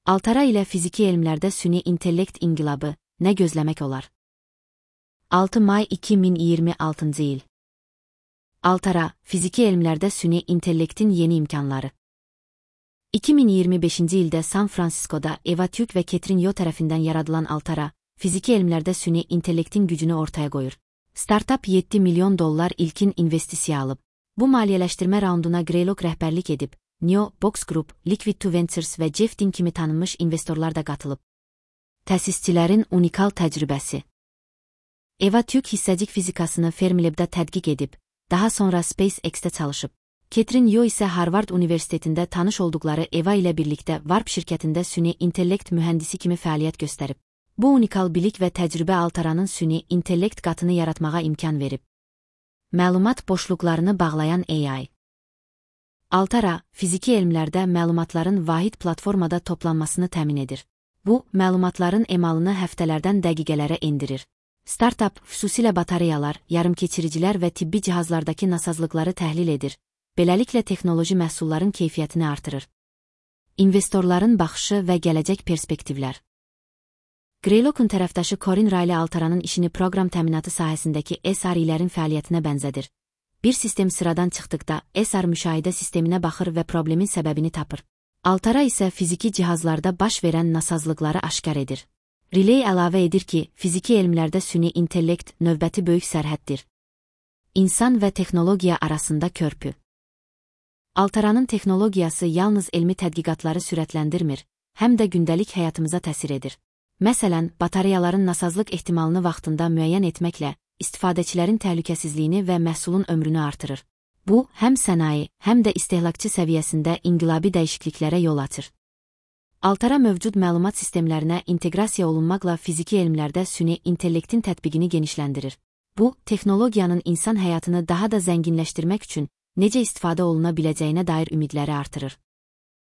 Altara ilə fiziki elmlərdə süni intellekt inqilabı, nə gözləmək olar? 6 may 2026 il. Altara, fiziki elmlərdə süni intellektin yeni imkanları. 2025-ci ildə San Fransiskoda Eva Tük və Ketrin Yo tərəfindən yaradılan Altara, fiziki elmlərdə süni intellektin gücünü ortaya qoyur. Startup $7 milyon ilkin investisiya alıb. Bu maliyyələşdirmə raunduna Greylog rəhbərlik edib, Neo, Box Group, Liquid2 Ventures və Jeff Dean kimi tanınmış investorlar da qatılıb. Təsisçilərin unikal təcrübəsi. Eva Tük hissəcik fizikasını Fermilab'da tədqiq edib, daha sonra SpaceX-də çalışıb. Ketrin Yo isə Harvard Universitetində tanış olduqları Eva ilə birlikdə Warp şirkətində süni intellekt mühəndisi kimi fəaliyyət göstərib. Bu unikal bilik və təcrübə Altaranın süni intellekt qatını yaratmağa imkan verib. Məlumat boşluqlarını bağlayan AI. Altara, fiziki elmlərdə məlumatların vahid platformada toplanmasını təmin edir. Bu, məlumatların emalını həftələrdən dəqiqələrə endirir. Startup, xüsusilə batareyalar, yarımkeçiricilər və tibbi cihazlardakı nasazlıqları təhlil edir. Beləliklə texnoloji məhsulların keyfiyyətini artırır. İnvestorların baxışı və gələcək perspektivlər. Greylog'un tərəfdaşı Corinne Riley Altaranın işini proqram təminatı sahəsindəki SRE-lərin fəaliyyətinə bənzədir. Bir sistem sıradan çıxdıqda SR müşahidə sisteminə baxır və problemin səbəbini tapır. Altara isə fiziki cihazlarda baş verən nasazlıqları aşkar edir. Riley əlavə edir ki, fiziki elmlərdə süni intellekt növbəti böyük sərhəddir. İnsan və texnologiya arasında körpü. Altaranın texnologiyası yalnız elmi tədqiqatları sürətləndirmir, həm də gündəlik həyatımıza təsir edir. Məsələn, batareyaların nasazlıq ehtimalını vaxtında müəyyən etməklə istifadəçilərin təhlükəsizliyini və məhsulun ömrünü artırır. Bu, həm sənaye, həm də istehlakçı səviyyəsində inqilabi dəyişikliklərə yol açır. Altara mövcud məlumat sistemlərinə inteqrasiya olunmaqla fiziki elmlərdə süni intellektin tətbiqini genişləndirir. Bu, texnologiyanın insan həyatını daha da zənginləşdirmək üçün necə istifadə oluna biləcəyinə dair ümidləri artırır.